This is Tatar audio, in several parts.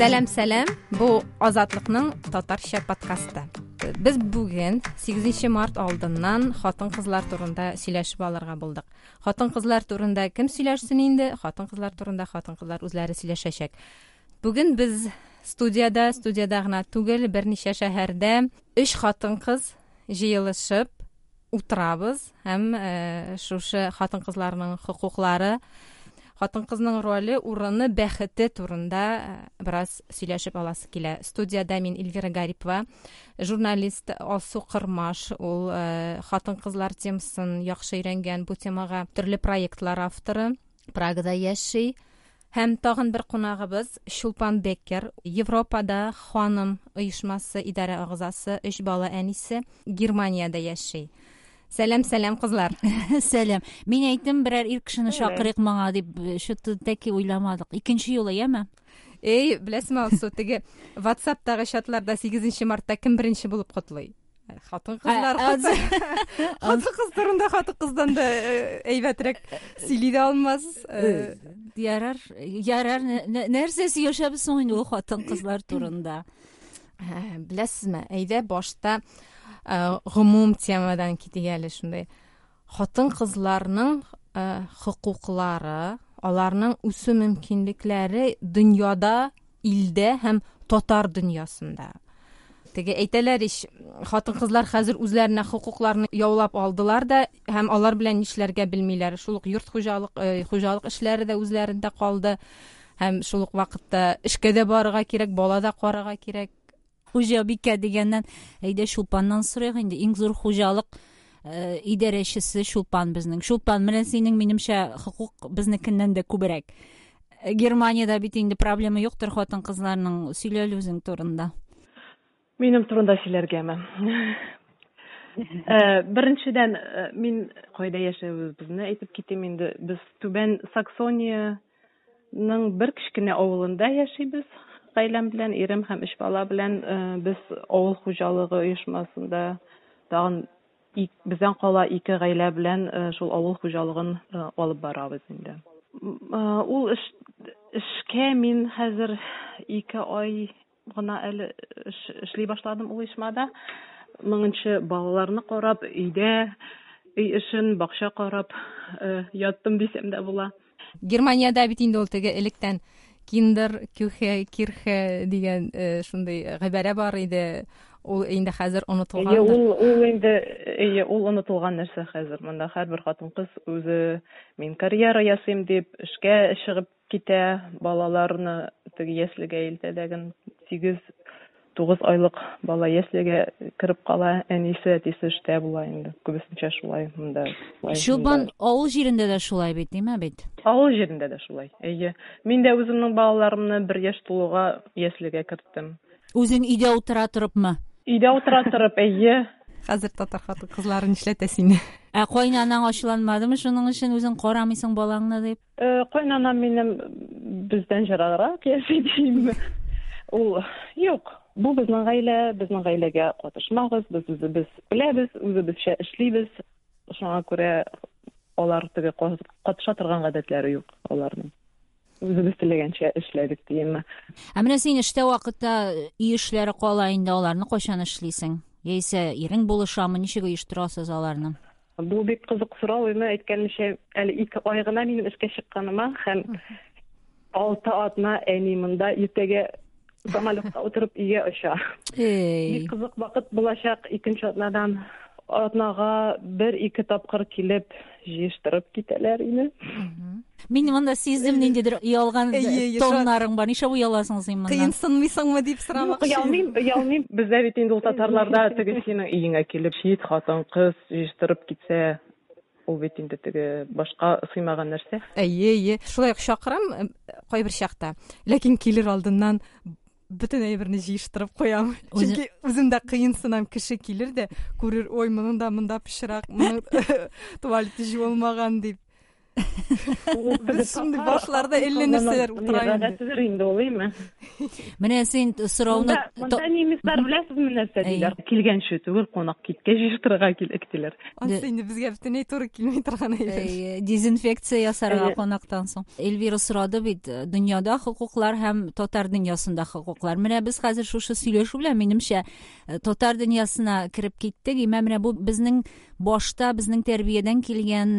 Сәлам, сәлам. Бу Азатлыкның татарча подкасты. Без бүген 8 март алдыннан хатын-кызлар турында сөйләшеп алырга булдык. Хатын-кызлар турында кем сөйләшсен инде? Хатын-кызлар турында хатын-кызлар үзләре сөйләшәчәк. Бүген без студиядә, студиядә гына түгел, берничә шәһәрдә өч хатын-кыз җыелышып утырабыз һәм шушы хатын-кызларның хокуклары, хатын-кызның роле, урыны, бәхете турында бераз сөйләшеп аласы килә. Студиядә мин Эльвира Гарипова, журналист Алсу Кырмаш, ул хатын-кызлар темасын яхшы өйрәнгән, бу темага төрле проектлар авторы, Прагада яши. Һәм тагын бер кунагыбыз Чулпан Беккер, Европада ханым оешмасы идарә агъзасы, өч бала әнисе, Германиядә яши. Сәлам, сәлам, кызлар. Сәлам. Мин әйттем, берәр ир кешене чакырыйк моңа дип, что-то тәки уйламадык. Икенче юлы, яме? Эй, беләсеңме, Алсу, теге WhatsAppтагы чатларда 8 мартта кем беренче булып котлый? Хатын-кызлар. Хатын-кыз турында хатын-кыздан да әйбәтрәк сөйли дә алмас. Ярар, ярар, нәрсә сөйләшәбез соң инде ул хатын-кызлар турында? Беләсезме, әйдә башта гомум темадан китик әле шундый. Хатын-кызларның хокуклары, аларның үсү мөмкинлекләре дөньяда, илдә һәм татар дөньясында. Теге әйтәләр ич, хатын-кызлар хәзер үзләренә хокукларны яулап алдылар да һәм алар белән нишләргә белмиләр. Шул ук йорт хуҗалык, хуҗалык эшләре дә үзләрендә калды. Һәм шул ук вакытта эшкә дә барырга кирәк, бала да карарга кирәк. Хуҗабикә дигәннән, әйдә Чулпаннан сорыйк инде. Иң зур хуҗалык идарәчесе Чулпан безнең. Чулпан, менә синең минемчә хокук безнекеннән дә күбрәк. Германиядә бит инде проблема юктыр хатын-кызларның. Сөйлә әле үзең турында. Минем турында сөйләргәме? Беренчедән, мин кайда яшәвебезне әйтеп китим инде. Без Түбән Саксониянең бер кечкенә авылында яшибез. Гаиләм белән, ирем һәм өч бала белән без авыл хуҗалыгы оешмасында тагын бездән кала ике гаилә белән шул авыл хуҗалыгын алып барабыз инде. Ул эшкә мин хәзер 2 ай гына әле эшли башладым ул оешмада. Моңынчы балаларны карап, өйдә өй эшен, бакча карап яттым дисәм дә була. Германиядә бит инде ул теге электән Киндер, Кюхе, Кирхе дигән шундый гыйбарә бар иде. Ул инде хәзер онытылган. Әйе, ул инде, әйе, ул онытылган нәрсә хәзер. Монда һәрбер хатын-кыз үзе мин карьера ясыйм дип эшкә чыгып китә, балаларны теге яслегә илтә дәген 8-9 айлык бала яслегә кереп кала, әнисе, әтисе эштә була инде. Күбесенчә шулай монда. Чулпан, авыл җирендә дә шулай бит, димә бит? Авыл җирендә дә шулай, әйе. Мин дә үземнең балаларымны 1 яшь тулуга яслегә керттем. Үзең өйдә утыра торыпмы? Өйдә утыра торып, әйе. Хәзер татар хатын-кызлары нишләтә сине? Ә кайнанаң ачуланмадымы шуның өчен, үзең карамыйсың балаңны дип? Кайнанам минем бездән җыраграк яши дим. Ул юк, бу безнең гаилә, безнең гаиләгә катышмагыз, без үзебез беләбез, үзебезчә эшлибез. Шуңа күрә алар теге катыша торган гадәтләре юк аларның. Үзебез теләгәнчә эшләдек димме. Ә менә син эштә вакытта өй эшләре кала инде, аларны кайчан эшлисең? Яисә ирең булышамы, ничек оештырасыз аларны? Бу бик кызык сорау, әмма әйткәнемчә, әле 2 ай гына минем эшкә чыкканыма һәм 6 атна әни монда иртәгә самолетка утырып өйгә оча. Бик кызык вакыт булачак икенче атнадан. Атнага 1-2 тапкыр килеп җыештырып китәләр иде. Мин монда сиздем ниндидер оялган тоннарың бар. Нишләп ояласың син моннан? Кыенсынмыйсыңмы дип сорамакчы. Юк, оялмыйм, оялмыйм. Бездә бит инде ул татарларда теге синең өеңә килеп чит хатын-кыз җыештырып китсә, ул бит инде теге башка сыймаган нәрсә. Әйе, әйе. Шулай ук чакырам кайбер чакта. Ләкин килер алдыннан бөтен әйберне җыештырып куям. Чөнки үзем дә кыенсынам, кеше килер дә күрер, ой, моның да монда пычрак, моның туалеты җуылмаган дип. Без шундый башларда әллә нәрсәләр утыра инде. Гадәтедер инде ул, әйме? Менә син сорауны Монда немецлар беләсезме нәрсә диләр? Килгәнче түгел, кунак киткәч җыештырырга кирәк диләр. Ансы инде безгә бөтенләй туры килми торган әйбер. Дезинфекция ясарга кунактан соң. Эльвира сорады бит, дөньяда хокуклар һәм татар дөньясында хокуклар. Менә без хәзер шушы сөйләшү белән, минемчә, татар дөньясына кереп киттек. Имә менә бу безнең башта, безнең тәрбиядән килгән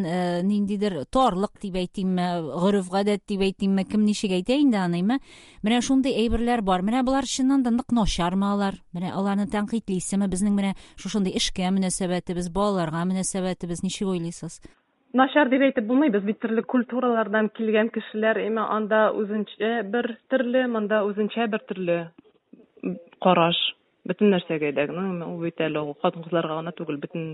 ниндидер тарлык дип әйтимме, гореф-гадәт дип әйтимме, кем ничек әйтә инде аны, име? Менә шундый әйберләр бар. Менә болар чыннан да нык начармы алар? Менә аларны тәнкыйтьлисеме? Безнең менә шушындый эшкә мөнәсәбәтебез, балаларга мөнәсәбәтебез, ничек уйлыйсыз? Начар дип әйтеп булмый, без бит төрле культуралардан килгән кешеләр, әмма анда үзенчә бер төрле, монда үзенчә бер төрле караш. Бөтен нәрсәгә дә, ул бит әле ул хатын-кызларга гына түгел, бөтен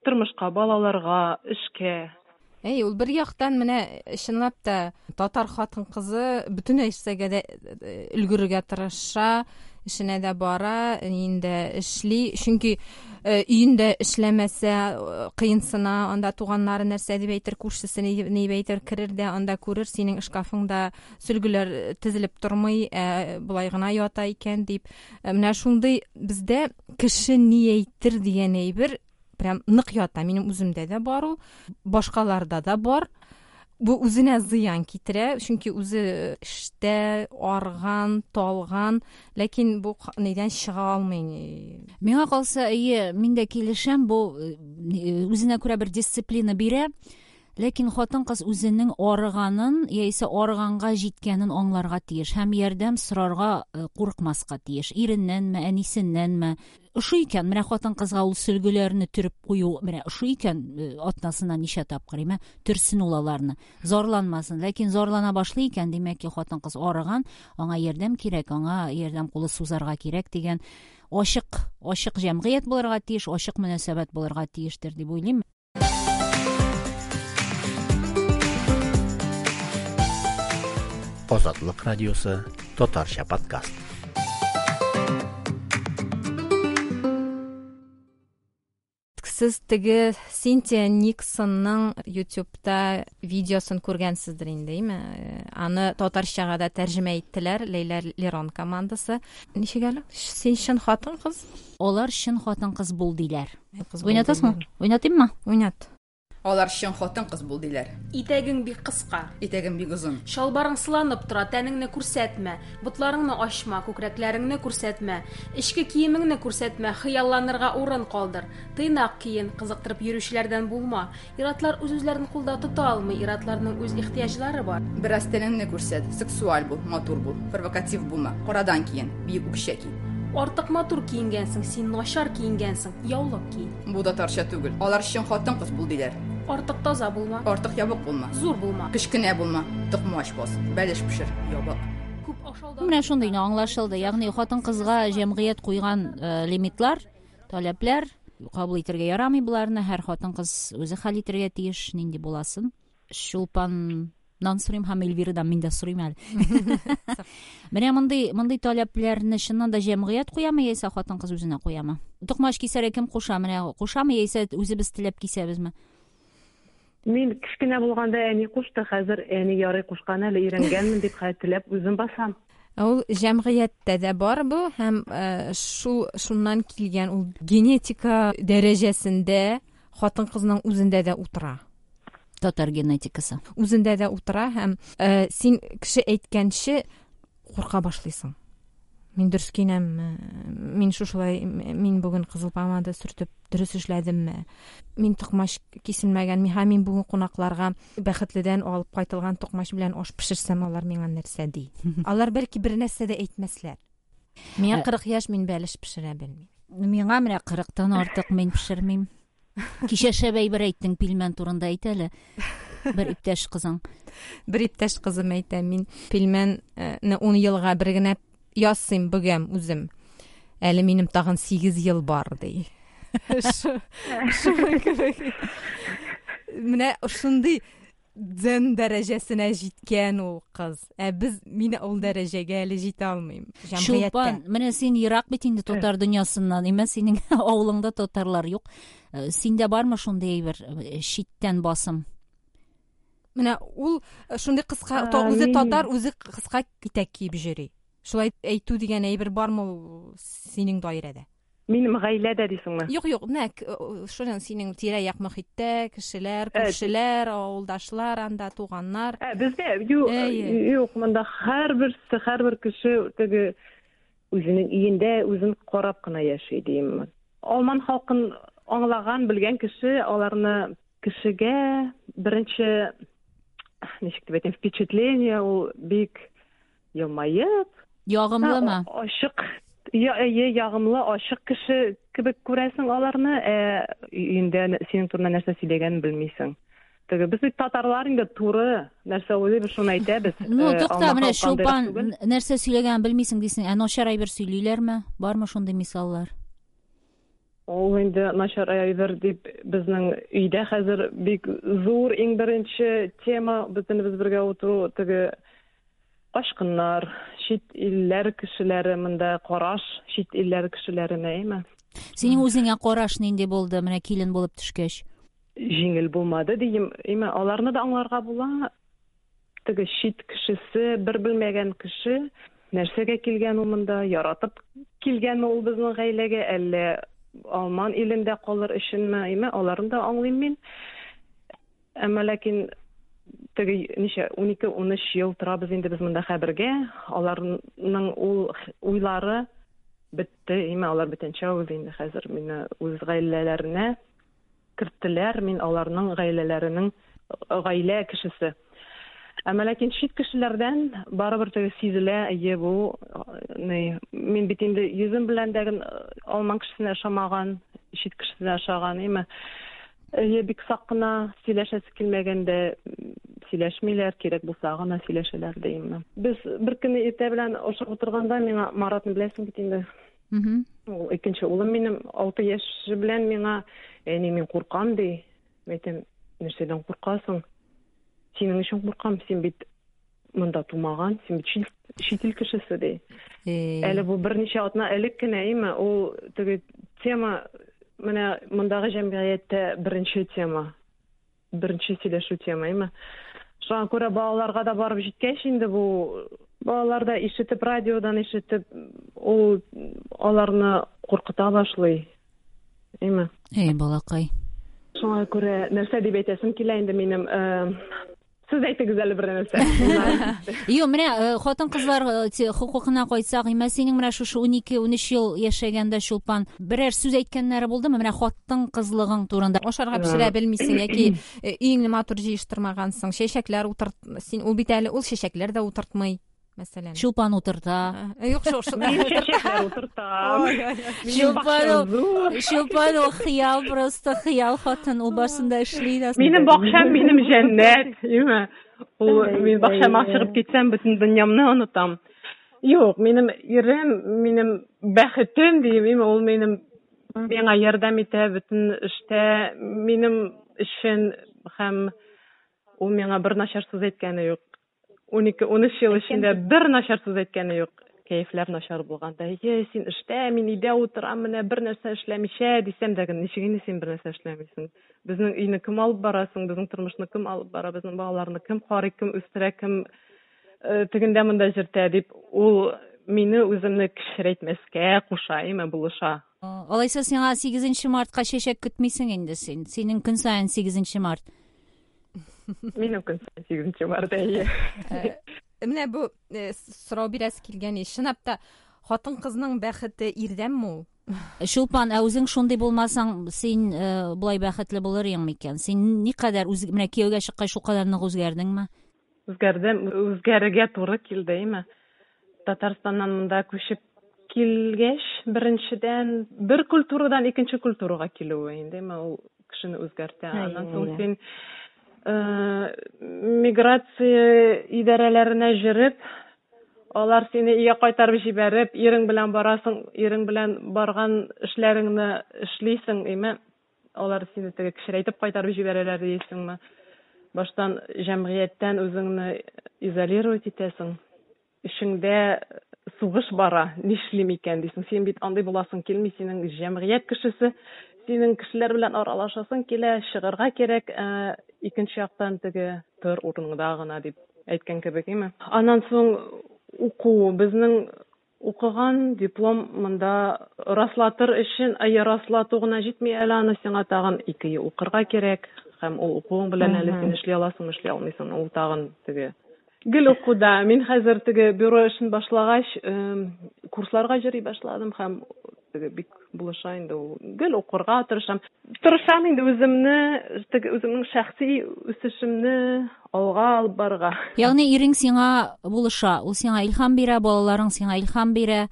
тормышка, балаларга, эшкә. Әй, ул бер яктан менә чынлап та татар хатын-кызы бөтен нәрсәгә дә өлгерергә тырыша, эшенә дә бара, өендә эшли, чөнки өендә эшләмәсә кыенсына, анда туганнары нәрсә дип әйтер, күршесе ни дип әйтер, керер дә анда күрер, синең шкафыңда сөлгеләр тезелеп тормый, болай гына ята икән дип. Менә шундый бездә кеше ни әйтер дигән әйбер прям нык ята. Минем үземдә дә бар ул, башкаларда да бар. Бу үзенә зыян китерә, чөнки үзе эштә арган, талган, ләкин бу нидән чыга алмый. Миңа калса, әйе, мин дә килешәм, бу үзенә күрә бер дисциплина бирә. Ләкин хатын-кыз үзенең арыганын яисә арыганга җиткәнен аңларга тиеш һәм ярдәм сорарга курыкмаска тиеш. Иреннәнме, әнисеннәнме? Ошый икән, менә хатын-кызга ул сөлгеләрне төреп кую, менә ошый икән, атнасына ничә тапкыр, име, төрсен ул аларны. Зарланмасын. Ләкин зарлана башлый икән, димәк ки, хатын-кыз арыган, аңа ярдәм кирәк, аңа ярдәм кулы сузарга кирәк дигән ачык җәмгыять булырга тиеш, ачык мөнәсәбәт булырга тиештер дип уйлыйм. Азатлык радиосы татарча подкаст. Сез теге Синтия Никсонның YouTube'та видеосын күргәнсездер инде, әйме? Аны татарчага да тәрҗемә иттеләр, Ләйлә Лерон командасы. Ничек әле? Син чын хатын-кыз? Алар чын хатын-кыз бул диләр. Кыз бул Уйнатасыңмы? диләр. Уйнатыйммы? Уйнат. Алар чын хатын-кыз бул диләр. Итәгең бик кыска. Итәгең бик озын. Чалбарың сыланып тора, тәнеңне күрсәтмә, ботларыңны ачма, күкрәкләреңне күрсәтмә, эчке киемеңне күрсәтмә, хыялланырга урын калдыр. Тыйнак киен, кызыктырып йөрүчеләрдән булма. Иратлар үз-үзләрен кулда тота алмый, иратларның үз ихтыяҗлары бар. Бераз тәнеңне күрсәт, сексуаль бул, матур бул, провокатив булма, карадан киен, биек үкчә ки. Артык матур киенгәнсең, син начар киенгәнсең, яулык ки. Бу татарча түгел. Алар чын хатын-кыз бул диләр. Артык таза булма. Артык ябык булма. Зур булма. Кечкенә булма. Токмач бас, бәлеш пешер, ябык. Күп ашаудан Менә шундый гына аңлашылды. Ягъни хатын-кызга җәмгыять куйган лимитлар, таләпләр кабул итәргә ярамый боларны. Һәр хатын-кыз үзе хәл итәргә тиеш, нинди буласын. Чулпаннан сорыйм һәм Эльвирадан мин дә сорыйм әле. Менә мондый таләпләрне чыннан да җәмгыять куямы яисә хатын-кыз үзенә куямы? Токмач кисәргә кем куша? Менә кушамы яисә үзебез теләп кисәбезме? Мин кечкенә булганда әни кушты, хәзер әни ярый кушкан әле, өйрәнгәнмен дип хәзер теләп үзем басам. Ул җәмгыятьтә дә бар бу һәм шуннан килгән ул генетика дәрәҗәсендә хатын-кызның үзендә дә утыра. Татар генетикасы. Үзендә дә утыра һәм син кеше әйткәнче курка башлыйсың. Мин дөрес киенәмме? Мин шушылай, мин бүген кызыл помада сөртеп дөрес эшләдемме? Мин токмач киселмәгән, һәм мин бүген кунакларга Бәхетледән алып кайтылган токмач белән аш пешерсәм, алар миңа нәрсә ди? Алар бәлки бер нәрсә дә әйтмәсләр. Миңа 40 яшь, мин бәлеш пешерә белмим. Миңа менә 40-тан артык мин пешермим. Кичә шәбәй бер әйттең, пилмән турында әйт әле. Бер иптәш кызың. Бер иптәш кызым әйтә, мин пилмәнне 10 елга бер генә ясыйм, бөгәм үзем. Әле минем тагын 8 ел бар, ди. Шуның кебек. Менә шундый дзен дәрәҗәсенә җиткән ул кыз. Ә мин ул дәрәҗәгә әле җитә алмыйм. Җәмгыятьтә. Чулпан, менә син ерак бит инде татар дөньясыннан, имә синең авылыңда татарлар юк. Синдә бармы шундый әйбер, читтән басым? Менә ул шундый кыска, үзе татар, үзе кыска итәк киеп йөри. Шулай әйтү дигән әйбер бармы ул синең даирәдә? Минем гаиләдә дисеңме? Юк, юк, менә шуның синең тирә-як мохиттә, кешеләр, күршеләр, авылдашлар, анда туганнар. Бездә юк, юк, монда һәрберсе, һәрбер кеше теге үзенең өендә үзен карап кына яши дим. Алман халкын аңлаган, белгән кеше аларны кешегә беренче ничек дип әйтим, впечатление ул бик елмаеп, ягымлымы? Ачык, әйе, ягымлы, ачык кеше кебек күрәсең аларны, ә өендә синең турында нәрсә сөйләгәнен белмисең. Теге без бит татарлар инде туры нәрсә уйлыйбыз, шуны әйтәбез. Ну, тукта, менә Чулпан нәрсә сөйләгәнен белмисең дисең, ә начар әйбер сөйлиләрме? Бармы шундый мисаллар? Ул инде начар әйбер дип безнең өйдә хәзер бик зур иң беренче тема бөтенебез бергә утыру теге качкыннар, чит илләр кешеләре монда караш чит илләр кешеләренә, әйме? Синең үзеңә караш нинди булды, менә килен булып төшкәч? Җиңел булмады дием, әйме, аларны да аңларга була. Теге чит кешесе, бер белмәгән кеше нәрсәгә килгән ул монда, яратып килгәнме ул безнең гаиләгә, әллә алман илендә калыр өченме, әйме, аларны да аңлыйм мин. Әмма ләкин теге ничә 12-13 ел торабыз инде без монда хәбергә, аларның ул уйлары бетте, әйме, алар бүтәнчә уйлый инде хәзер мине үз гаиләләренә керттеләр, мин аларның гаиләләренең гаилә кешесе. Әмма ләкин чит кешеләрдән барыбер теге сизелә, әйе, бу ни, мин бит инде йөзем белән дә алман кешесенә ошамаган, чит кешесенә ошаган, әйме. Әйе, бик сак кына сөйләшәсе килмәгәндә сөйләшмиләр, кирәк булса гына сөйләшәләр димме. Без бер көнне иртә белән ашап утырганда миңа Маратны беләсең бит инде. Ул икенче улым минем 6 яше белән миңа, әни, мин куркам ди. Мин әйтәм, нәрсәдән куркасың? Синең өчен куркам, син бит монда тумаган, син бит чит ил кешесе ди. Әле бу берничә атна элек кенә, әйме, ул теге тема менә мондагы җәмгыятьтә беренче тема. Беренче сөйләшү тема, әйме. Шуңа күрә балаларга да барып җиткәч инде бу балалар да ишетеп, радиодан ишетеп, ул аларны куркыта башлый. Әйме. Эй, балакай. Шуңа күрә нәрсә дип әйтәсем килә инде минем, сез әйтегез әле бер нәрсә. Юк, менә хатын-кызлар хокукына кайтсак, имә синең менә шушы 12-13 ел яшәгәндә Чулпан, берәр сүз әйткәннәре булдымы? Менә хатын-кызлыгың турында. Ашарга пешерә белмисең яки өеңне матур җыештырмагансың, чәчәкләр утырт, син ул бит әле ул чәчәкләр дә утыртмый. Мәсәлән. Чулпан утырта. Юк, шул, шул. Мин чәчәкләр утыртам. Чулпан ул хыял, просто хыял хатын, ул барсын да эшли дә. Минем бакчам минем җәннәт, име? Ул мин бакчама чыгып китсәм, бөтен дөньямны онытам. Юк, минем ирем, минем бәхетем дием, име, ул минем миңа ярдәм итә бөтен эштә, минем өчен һәм ул миңа бер начар сүз әйткәне юк. 12-13 ел эчендә бер начар сүз әйткәне юк. Кәефләр начар булганда, е, син эштә, мин өйдә утырам, менә бер нәрсә эшләмичә дисәм дә, ничек инде син бер нәрсә эшләмисең? Безнең өйне кем алып бара соң, безнең тормышны кем алып бара, безнең балаларны кем карый, кем үстерә, кем тегендә монда җөртә дип, ул мине үземне кечерәйтмәскә куша, әйме, булыша. Алайса сиңа 8 мартка чәчәк көтмисең инде син. Синең көн саен 8 март. Минем көн саен 8 март, әйе. Менә бу сорау бирәсе килгән, чынлап та хатын-кызның бәхете ирдәнме ул? Чулпан, ә үзең шундый булмасаң, син болай бәхетле булыр идең микән? Син никадәр үз, менә кияүгә чыккач шулкадәр нык үзгәрдеңме? Үзгәрдем, үзгәрергә туры килде, әйме. Татарстаннан монда күчеп килгәч, беренчедән бер культурадан икенче культурага килүе инде, әйме, ул кешене үзгәртә. Аннан соң син миграция идарәләренә җөреп, алар сине өйгә кайтарып җибәреп, ирең белән барасың, ирең белән барган эшләреңне эшлисең, әйме, алар сине теге кечерәйтеп кайтарып җибәрәләр дисеңме? Баштан җәмгыятьтән үзеңне изолировать итәсең. Эчеңдә сугыш бара, нишлим икән дисең. Син бит андый буласың килми, синең җәмгыять кешесе, Синең кешеләр белән аралашасың килә, чыгарга кирәк, ә икенче яктан теге тор урыныңда гына дип әйткән кебек, име. Аннан соң уку, безнең укыган диплом монда раслатыр өчен, әйе, раслату гына җитми әле, аны сиңа тагын 2 ел укырга кирәк, һәм ул укуың белән әле син эшли аласың, эшли алмыйсың, ул тагын теге гел укуда. Мин хәзер теге бюро эшен башлагач, курсларга йөри башладым һәм теге бик булыша инде ул. Гел укырга тырышам. Тырышам инде үземне, теге үземнең шәхси үсешемне алга алып барырга. Ягъни ирең сиңа булыша, ул сиңа илһам бирә, балаларың сиңа илһам бирә.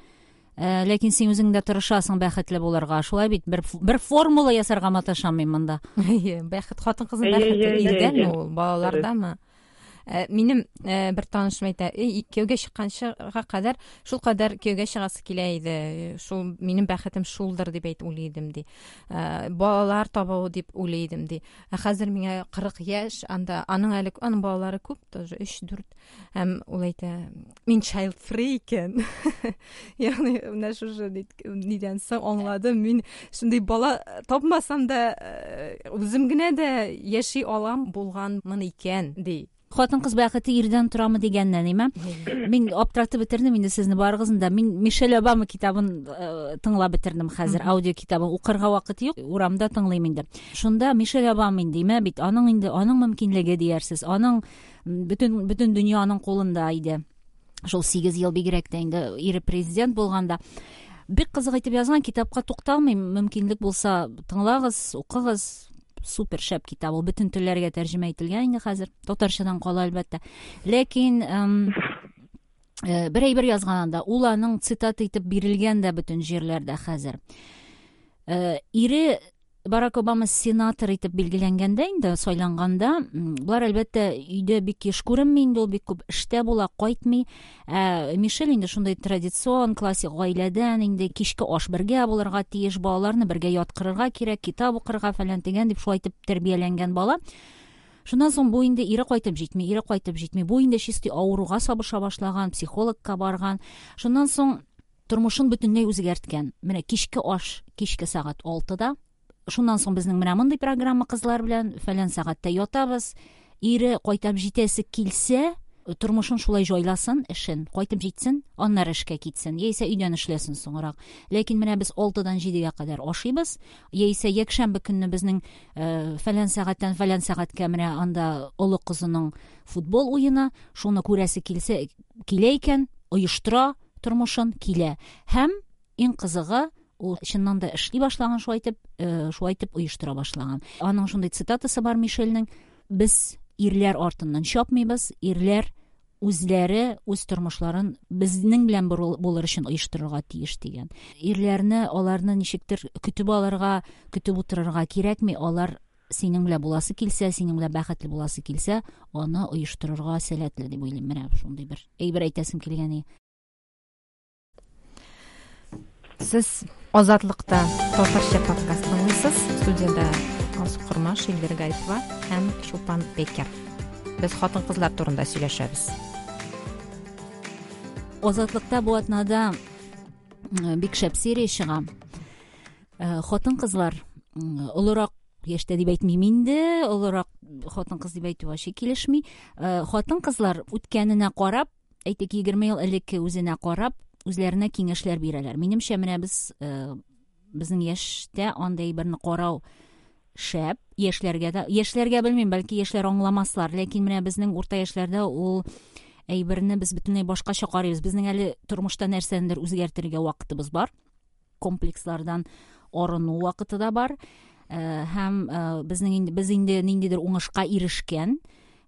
Ләкин син үзең дә тырышасың бәхетле булырга. Шулай бит, бер формула ясарга маташам мин монда. Әйе, бәхет, хатын-кызның бәхете ирдәме ул, балалардамы? Минем бер танышым әйтә, кияүгә чыкканчыга кадәр шул кадәр кияүгә чыгасы килә иде, шул минем бәхетем шулдыр дип әйтеп уйлый идем, ди. Балалар табу дип уйлый идем, ди. Ә хәзер миңа 40 яшь, анда аның әле аның балалары күп тоже, 3-4. Һәм ул әйтә, мин child free икән. Ягъни менә шушы нидән соң аңладым, мин шундый бала тапмасам да, үзем генә дә яши алам булганмын икән, ди. Хатын-кыз бәхете ирдән торамы дигәннән, име? Мин аптыратып бетердем инде сезне барыгызны да. Мин Мишель Обама китабын тыңлап бетердем хәзер, аудио китабын. Укырга вакыт юк, урамда тыңлыйм инде. Шунда Мишель Обама инде, име бит, аның инде, аның мөмкинлеге диярсез, аның бөтен дөнья аның кулында иде. Шул 8 ел бигрәк тә инде ире президент булганда. Бик кызык итеп язган, китапка тукталмыйм, мөмкинлек булса тыңлагыз, укыгыз. Супер шәп китап, ул бөтен телләргә тәрҗемә ителгән инде хәзер, татарчадан кала әлбәттә. Ләкин бер әйбер язган анда, ул аның цитата итеп бирелгән дә бөтен җирләрдә хәзер. Ире Барак Обама сенатор итеп билгеләнгәндә инде, сайланганда, булар әлбәттә өйдә бик еш күренми инде, ул бик күп эштә була, кайтмый. Мишель инде шундый традицион, классик гаиләдән инде кичке аш бергә булырга тиеш, балаларны бергә яткырырга кирәк, китап укырга фәлән дигән дип шулай итеп тәрбияләнгән бала. Шуннан соң бу инде ире кайтып җитми, ире кайтып җитми. Бу инде чистый авыруга сабыша башлаган, психологка барган. Шуннан соң тормышын бөтенләй үзгәрткән. Менә кичке аш кичке сәгать 6-да. Шуннан соң безнең менә мондый программа кызлар белән фәлән сәгатьтә ятабыз. Ире кайтып җитәсе килсә, тормышын шулай җайласын, эшен, кайтып җитсен, аннары эшкә китсен, яисә өйдән эшләсен соңрак. Ләкин менә без 6-дан 7-гә кадәр ашыйбыз, яисә якшәмбе көнне безнең фәлән сәгатьтән фәлән сәгатькә менә анда олы кызының футбол уены, шуны күрәсе килсә, килә икән, оештыра тормышын, килә. Һәм иң кызыгы, ул чыннан да эшли башлаган, шулай итеп оештыра башлаган. Аның шундый цитатасы бар Мишельнең: без ирләр артыннан чапмыйбыз, ирләр үзләре үз тормышларын безнең белән булыр өчен оештырырга тиеш дигән. Ирләрне, аларны ничектер көтеп алырга, көтеп утырырга кирәкми, алар синең белән буласы килсә, синең белән бәхетле буласы килсә, аны оештырырга сәләтле дип уйлыйм. Менә шундый бер әйбер әйтәсем килгән. Сез Азатлыкта татарча подкаст тыңлыйсыз. Студияда Алсу Кормаш, Эльвира Гарипова һәм Чулпан Бекер. Без хатын-кызлар турында сөйләшәбез. Азатлыкта бу атнада бик шәп серия чыга. Хатын-кызлар олырак яшьтә дип әйтмим инде, олырак хатын-кыз дип әйтү вообще килешми. Хатын-кызлар үткәненә карап, әйтик, 20 ел элекке үзенә карап, үзләренә киңәшләр бирәләр. Минемчә, менә без безнең яшьтә андый берне карау шәп, яшьләргә дә, яшьләргә белмим, бәлки яшьләр аңламаслар, ләкин менә безнең урта яшьләрдә ул әйберне без бөтенләй башкача карыйбыз. Безнең әле тормышта нәрсәнедер үзгәртергә вакытыбыз бар. Комплекслардан арыну вакыты да бар. Һәм безнең инде, без инде ниндидер уңышка ирешкән.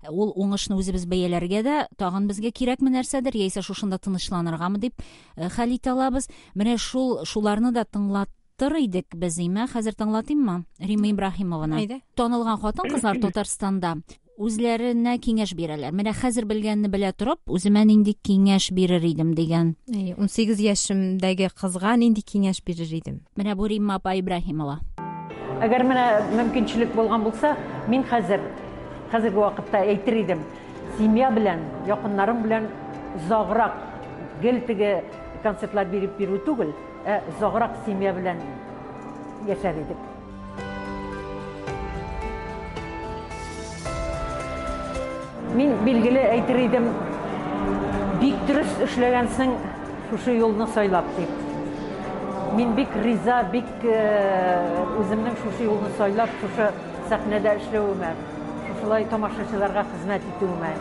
Ул уңышны үзебез бәяләргә дә тагын безгә кирәкме нәрсәдер, яисә шушында тынычланыргамы дип хәл итә алабыз. Менә шуларны да тыңлаттыр идек без, име? Хәзер тыңлатыйммы? Римма Ибраһимованы. Әйдә. Танылган хатын-кызлар Татарстанда үзләренә киңәш бирәләр. Менә хәзер белгәнне белә торып, үземә нинди киңәш бирер идем дигән. Әйе, 18 яшемдәге кызга нинди киңәш бирер идем? Менә бу Римма апа Ибраһимова. Әгәр менә мөмкинчелек булган булса, мин хәзерге вакытта әйтер идем, семья белән, якыннарың белән озаграк гел теге концертлар биреп бирү түгел, ә озаграк семья белән яшәр идек. Мин билгеле әйтер идем, бик дөрес эшләгәнсең шушы юлны сайлап дип. Мин бик риза, бик үземнең шушы юлны сайлап, шушы сәхнәдә эшләвемә, шушылай тамашачыларга хезмәт итүемә.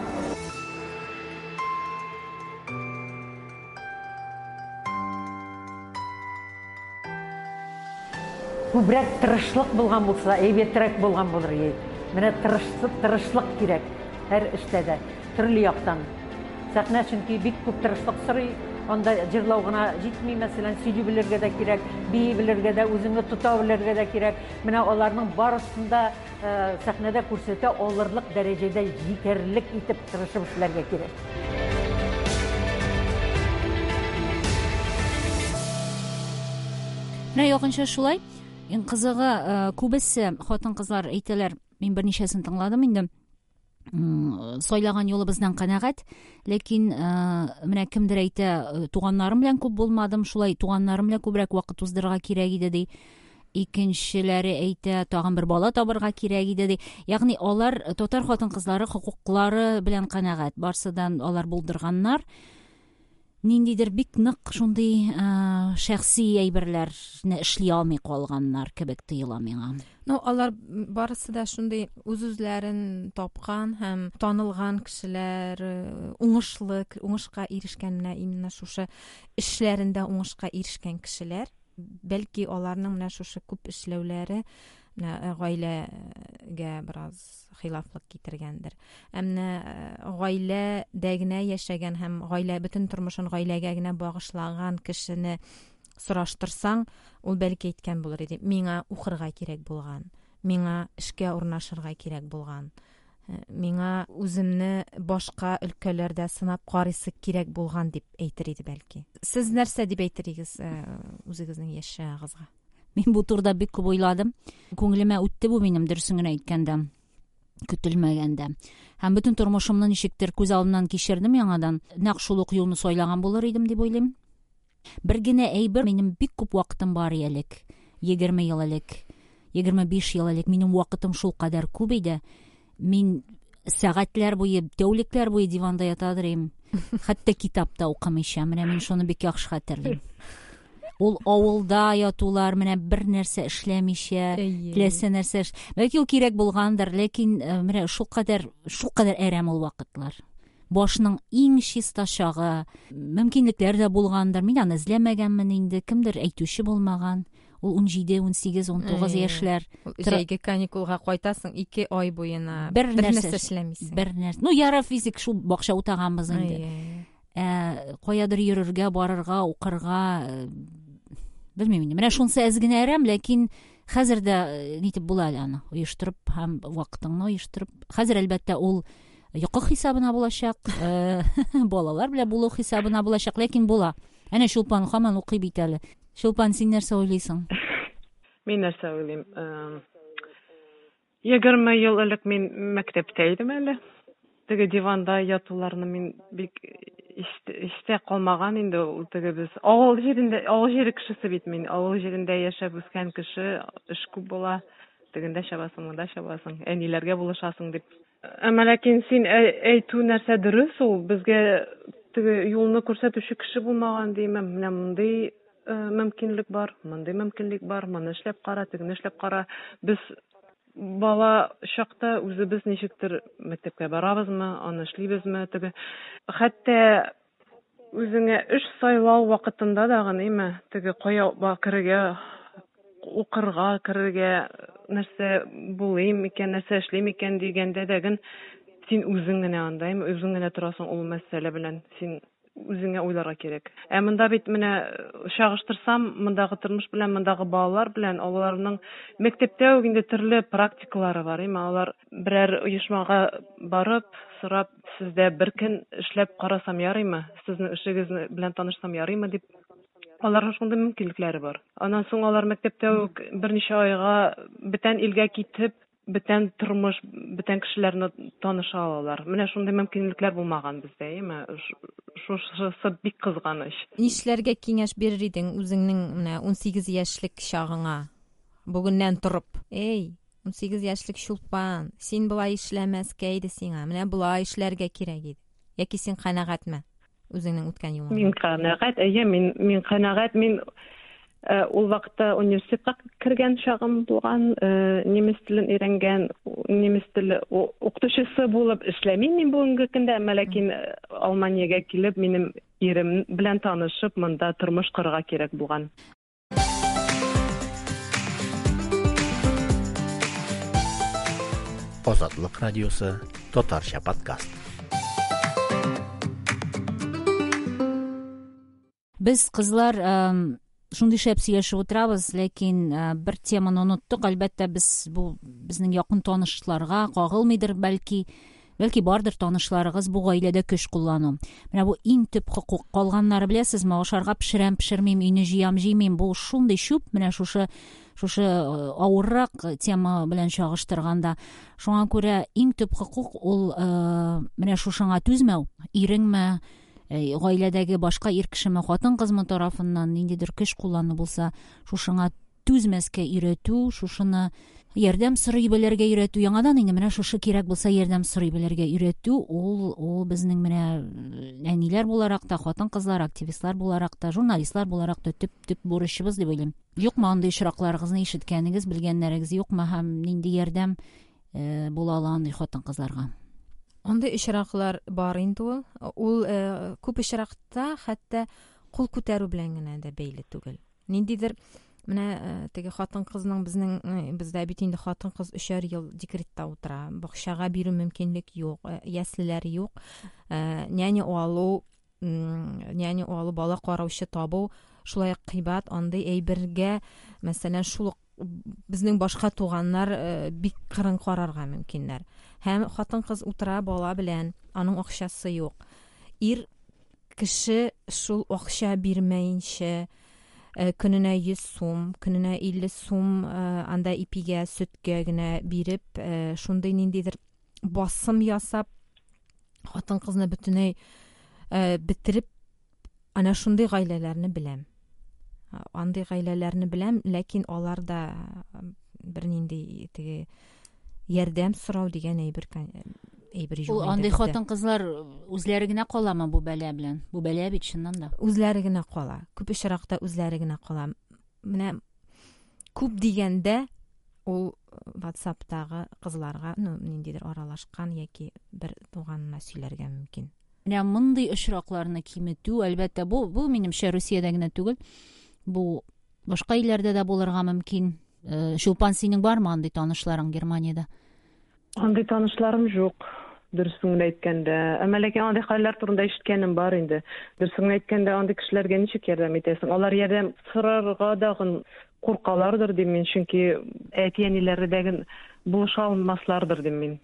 Күбрәк тырышлык булган булса, әйбәтрәк булган булыр иде. Менә тырышлык кирәк һәр эштә дә, төрле яктан. Сәхнә чөнки бик күп тырышлык сорый. Анда җырлау гына җитми, мәсәлән, сөйли белергә дә кирәк, бии белергә дә, үзеңне тота белергә дә кирәк. Менә аларның барысын да сәхнәдә күрсәтә алырлык дәрәҗәдә җитәрлек итеп тырышып эшләргә кирәк. Менә якынча шулай. Иң кызыгы, күбесе хатын-кызлар әйтәләр, мин берничәсен тыңладым инде. Сайлаган юлыбыздан канәгать, ләкин менә кемдер әйтә, туганнарым белән күп булмадым, шулай туганнарым белән күбрәк вакыт уздырырга кирәк иде ди. Икенчеләре әйтә, тагын бер бала табырга кирәк иде ди. Ягъни алар татар хатын-кызлары хокуклары белән канәгать, барсыдан алар булдырганнар. Ниндидер бик нык шундый шәхси әйберләрне эшли алмый калганнар кебек тоела миңа. Ну, алар барысы да шундый үз-үзләрен тапкан һәм танылган кешеләр, уңышлы, уңышка ирешкән, менә именно шушы эшләрендә уңышка ирешкән кешеләр. Бәлки аларның менә шушы күп эшләүләре менә гаиләгә бераз хилафлык китергәндер. Ә менә гаиләдә генә яшәгән һәм гаилә бөтен тормышын гаиләгә генә багышлаган кешене сораштырсаң, ул бәлки әйткән булыр иде: миңа укырга кирәк булган, миңа эшкә урнашырга кирәк булган, миңа үземне башка өлкәләрдә сынап карыйсы кирәк булган дип әйтер иде бәлки. Сез нәрсә дип әйтер идегез үзегезнең яшь чагыгызга? Мин бу турыда бик күп уйладым. Күңелемә үтте бу минем, дөресен генә әйткәндә, көтелмәгәндә. Һәм бөтен тормышымны ничектер күз алдымнан кичердем яңадан. Нәкъ шул ук юлны сайлаган булыр идем дип уйлыйм. Бер генә әйбер, минем бик күп вакытым бар элек. 20 ел элек, 25 ел элек минем вакытым шул кадәр күп иде. Мин сәгатьләр буе, тәүлекләр буе диванда ятадыр идем. Хәтта китап та укымыйча. Менә мин шуны бик яхшы хәтерлим. Ул авылда ятулар, менә бер нәрсә эшләмичә, теләсә нәрсә эш. Бәлки ул кирәк булгандыр, ләкин менә шул кадәр әрәм ул вакытлар. Башның иң чиста чагы, мөмкинлекләр дә булгандыр. Мин аны эзләмәгәнмен инде, кемдер әйтүче булмаган. Ул 17, 18, 19 яшьләр. Җәйге каникулга кайтасың 2 ай буена. Бер нәрсә эшләмисең. Бер нәрсә. Ну, яра физик шул бакча утаганбыз инде. Каядыр йөрергә, барырга, укырга, белмим инде. Менә шунысы әз генә әрәм, ләкин хәзер дә нитеп була әле аны оештырып һәм вакытыңны оештырып. Хәзер әлбәттә ул йокы хисабына булачак, балалар белән булу хисабына булачак, ләкин була. Әнә Чулпан һаман укый бит әле. Чулпан, син нәрсә уйлыйсың? Мин нәрсә уйлыйм? 20 ел элек мин мәктәптә идем әле. Теге диванда ятуларны мин бик истә калмаган инде ул теге без. Авыл җирендә, авыл җире кешесе бит мин. Авыл җирендә яшәп үскән кеше, эш күп була. Тегендә чабасың, монда чабасың, әниләргә булышасың дип. Әмма ләкин син әйтү нәрсә дөрес ул, безгә теге юлны күрсәтүче кеше булмаган димем. Менә мондый мөмкинлек бар, мондый мөмкинлек бар, моны эшләп кара, тегене эшләп кара. Без бала чакта үзебез ничектер мәктәпкә барабызмы, аны эшлибезме, теге. Хәтта үзеңә эш сайлау вакытында да гынымы, теге кая керергә, укырга керергә, нәрсә булыйм икән, нәрсә эшлим икән дигәндә дә ген син үзең генә анда, үзең генә торасың ул мәсьәлә белән. Син үзеңә уйларга кирәк. Ә монда бит менә чагыштырсам, мондагы тормыш белән, мондагы балалар белән, аларның мәктәптә үк инде төрле практикалары бар, әмма алар берәр оешмага барып, сорап, сездә бер көн эшләп карасам ярыймы, сезнең эшегез белән танышсам ярыймы дип, аларның шундый мөмкинлекләре бар. Аннан соң алар мәктәптә үк берничә айга бүтән илгә китеп, бүтән тормыш, бүтән кешеләрне таныша алалар. Менә шундый мөмкинлекләр булмаган бездә, әйеме? Шушысы бик кызганыч. Нишләргә киңәш бирер идең үзеңнең менә 18 яшьлек чагыңа? Бүгеннән торып. Эй, 18 яшьлек Чулпан, син болай эшләмәскә иде сиңа, менә болай эшләргә кирәк иде. Яки син канәгатьме үзеңнең үткән юлыңа? Мин канәгать, әйе, мин канәгать, мин ул вакытта университетка кергән чагым булган, немец телен өйрәнгән, немец теле укытучысы булып эшләмим мин бүгенге көндә, әмма ләкин Алманиягә килеп, минем ирем белән танышып, монда тормыш корырга кирәк булган. Азатлык радиосы татарча подкаст. Без кызлар шундый шәп сөйләшеп утырабыз, ләкин бер теманы оныттык. Әлбәттә, без бу безнең якын танышларга кагылмыйдыр, бәлки бардыр танышларыгыз бу гаиләдә көч куллану. Менә бу иң төп хокук. Калганнары беләсезме, ашарга пешерәм, пешермим, өйне җыям, җыймыйм. Бу шундый чүп, менә шушы авыррак тема белән чагыштырганда. Шуңа күрә иң төп хокук ул менә шушыңа түзмәү. Иреңме, гаиләдәге башка ир кешеме, хатын-кызмы тарафыннан ниндидер көч куллану булса, шушыңа түзмәскә өйрәтү, шушыны ярдәм сорый белергә өйрәтү. Яңадан инде менә шушы кирәк булса ярдәм сорый белергә өйрәтү, ул безнең менә әниләр буларак та, хатын-кызлар, активистлар буларак та, журналистлар буларак та төп бурычыбыз дип уйлыйм. Юкмы андый очракларыгызны ишеткәнегез, белгәннәрегез юкмы һәм нинди ярдәм була ала андый хатын-кызларга? Андый очраклар бар инде ул. Ул күп очракта хәтта кул күтәрү белән генә дә бәйле түгел. Ниндидер менә теге хатын-кызның безнең бездә бит инде хатын-кыз 3 ел декретта утыра, бакчага бирү мөмкинлек юк, яслеләр юк, няня алу, бала караучы табу шулай кыйбат. Андый әйбергә, мәсәлән, шул безнең башка туганнар бик кырын карарга мөмкиннәр. Һәм хатын-кыз утыра бала белән, аның акчасы юк. Ир кеше шул акча бирмәенчә көненә 100 сум, көненә 50 сум анда ипигә, сөткә генә биреп, шундый ниндидер басым ясап, хатын-кызны бөтенләй бетереп, ана шундый гаиләләрне беләм. Андый гаиләләрне беләм, ләкин алар да бернинди теге ярдәм сорау дигән әйбер юк. Ул андый хатын-кызлар үзләре генә каламы бу бәла белән? Бу бәла бит чыннан да. Үзләре генә кала. Күп очракта үзләре генә кала. Менә күп дигәндә ул WhatsApp-тагы кызларга, ну, ниндидер аралашкан яки бер туганына сөйләргә мөмкин. Менә мондый очракларны киметү, әлбәттә, бу минемчә Русиядә генә түгел. Бу башка илләрдә дә булырга мөмкин. Чулпан, синең бармы андый танышларың Германиядә? Андый танышларым юк, дөресен генә әйткәндә. Әмма ләкин андый хәлләр турында ишеткәнем бар инде. Дөресен генә әйткәндә, андый кешеләргә ничек ярдәм итәсең? Алар ярдәм сорарга дагын куркалардыр дим мин, чөнки әти-әниләре дә булыша алмаслардыр дим мин.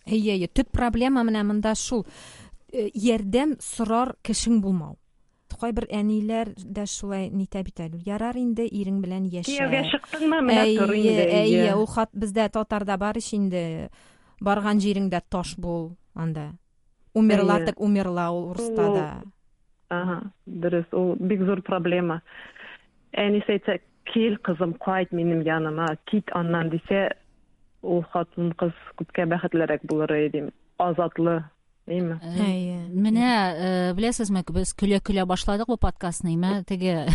Әйе, төп проблема менә монда шул. Ярдәм сорар кешең булмау. Кайбер әниләр дә шулай нитә бит әле. Ярар инде, ирең белән яшә. Кияүгә чыктыңмы, менә тор инде. Әйе, ул хат бездә татарда бар ич инде. Барган җиреңдә таш бул анда. Умерла так умерла ул урыста да. Ага, дөрес, ул бик зур проблема. Әнисе әйтсә, кил кызым, кайт минем яныма, кит аннан дисә, ул хатын кыз күпкә бәхетлерәк булыр иде. Азатлы. Әйме? Әйе. Менә, беләсезме, без көлә-көлә башладык бу подкастны, әйме? Теге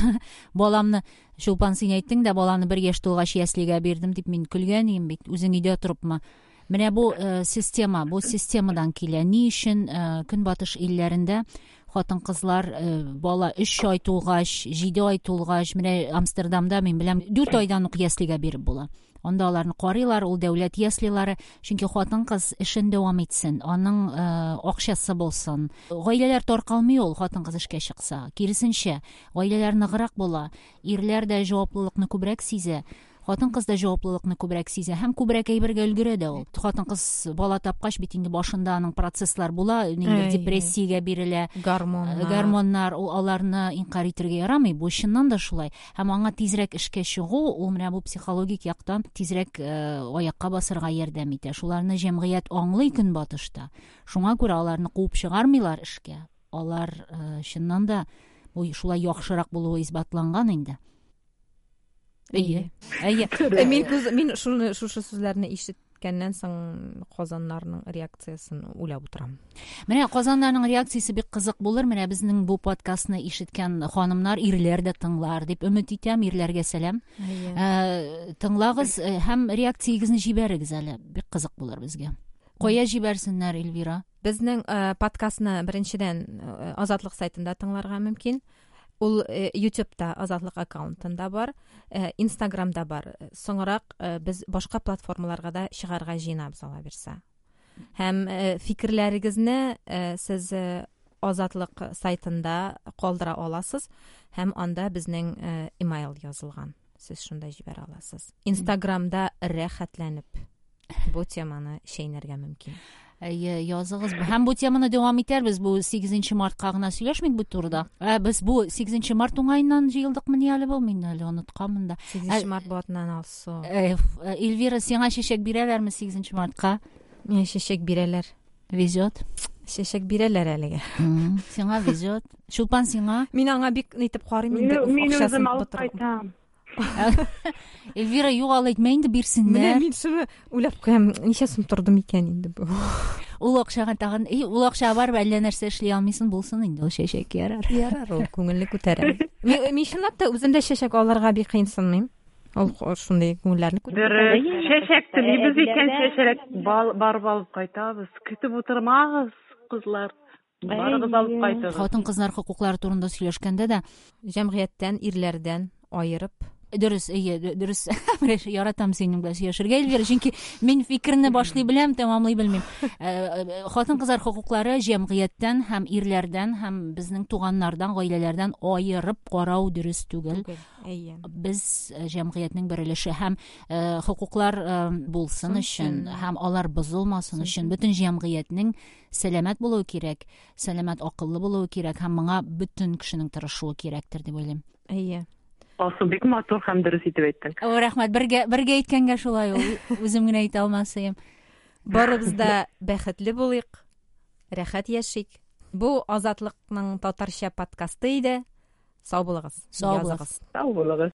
баламны, Чулпан, син әйттең дә, баланы 1 яшь тулгач яслигә бирдем дип мин көлгән идем бит, үзең өйдә торыпмы? Менә бу система, бу системадан килә. Ни өчен Көнбатыш илләрендә хатын-кызлар бала 3 ай тулгач, 7 ай тулгач, менә Амстердамда мин беләм, 4 айдан ук яслигә биреп була. Анда аларны карыйлар, ул дәүләт яслилары, чөнки хатын-кыз эшен дәвам итсен, аның акчасы булсын. Гаиләләр таркалмый ул хатын-кыз эшкә чыкса. Киресенчә, гаиләләр ныграк була, ирләр дә җаваплылыкны күбрәк сизә, хатын-кыз да җаваплылыкны күбрәк сизә һәм күбрәк әйбергә өлгерә дә ул. Хатын-кыз бала тапкач бит инде башында аның процесслар була, ниндидер депрессиягә бирелә, Гормоннар. Гормоннар, ул аларны инкарь итәргә ярамый, бу чыннан да шулай. Һәм аңа тизрәк эшкә чыгу, ул менә бу психологик яктан тизрәк аякка басырга ярдәм итә. Шуларны җәмгыять аңлый көнбатышта. Шуңа күрә аларны куып чыгармыйлар эшкә. Алар чыннан да бу шулай яхшырак булуы исбатланган инде. Әйе. Әйе. Мин күз мин шуны шушы сүзләрне ишеткәннән соң казаннарның реакциясен уйлап утырам. Менә казаннарның реакциясе бик кызык булыр. Менә безнең бу подкастны ишеткән ханымнар, ирләр дә тыңлар дип өмет итәм. Ирләргә сәлам. Тыңлагыз һәм реакциягезне җибәрегез әле. Бик кызык булыр безгә. Кая җибәрсеннәр, Эльвира? Безнең подкастны беренчедән Азатлык сайтында тыңларга мөмкин. Ул YouTube'та Азатлык аккаунтында бар, Instagramда бар. Соңрак без башка платформаларга да чыгарга җыенабыз, Алла бирсә. Һәм фикерләрегезне сез Азатлык сайтында калдыра аласыз һәм анда безнең email язылган. Сез шунда җибәрә аласыз. Instagramда рәхәтләнеп бу теманы чәйнәргә мөмкин. Әйе, языгыз. Һәм бу теманы дәвам итәрбез. Бу 8 мартка гына сөйләшмик бу турыда. Без бу 8 март уңаеннан җыелдыкмыни әле бу? Мин әле онытканмын да. 8 март бу атнан алсу. Эльвира, сиңа чәчәк бирәләрме 8 мартка? Миңа чәчәк бирәләр. Везет. Чәчәк бирәләр әлегә. Сиңа везет. Чулпан, сиңа? Мин аңа бик нитеп карыйм инде. Мин үзем алып кайтам. Эльвира, юк, алай әйтмә инде, бирсеннәр. Менә мин шуны уйлап куям, ничә сум торды микән инде бу? Ул акчага тагын, ул акчага барып әллә нәрсә эшли алмыйсың, булсын инде ул чәчәк, ярар. Ярар, ул күңелне күтәрә. Мин чынлап та үзем дә чәчәк алырга бик кыенсынмыйм. Ул шундый күңелләрне күтәрә. Дөрес, чәчәк телибез икән, чәчәк барып алып кайтабыз. Көтеп утырмагыз, кызлар. Барыгыз алып кайтыгыз. Хатын-кызлар хокуклары турында сөйләшкәндә дә җәмгыятьтән, ирләрдән аерып. Дөрес, әйе, дөрес. Яратам синең белән сөйләшергә, Эльвира, чөнки мин фикерне башлый беләм, тәмамлый белмим. Хатын-кызлар хокуклары җәмгыятьтән һәм ирләрдән һәм безнең туганнардан, гаиләләрдән аерып карау дөрес түгел. Әйе. Без җәмгыятьнең бер өлеше һәм хокуклар булсын өчен һәм алар бозылмасын өчен бөтен җәмгыятьнең сәламәт булуы кирәк, сәламәт акыллы булуы кирәк һәм моңа бөтен кешенең тырышуы кирәктер дип уйлыйм. Әйе. Алсу, бик матур һәм дөрес итеп әйттең. О, рәхмәт. Бергә әйткәнгә шулай ул. Үзем генә әйтә алмасым. Барыбыз да бәхетле булыйк, рәхәт яшик. Бу Азатлыкның татарча подкасты иде. Сау булыгыз. Сау булыгыз. Сау булыгыз.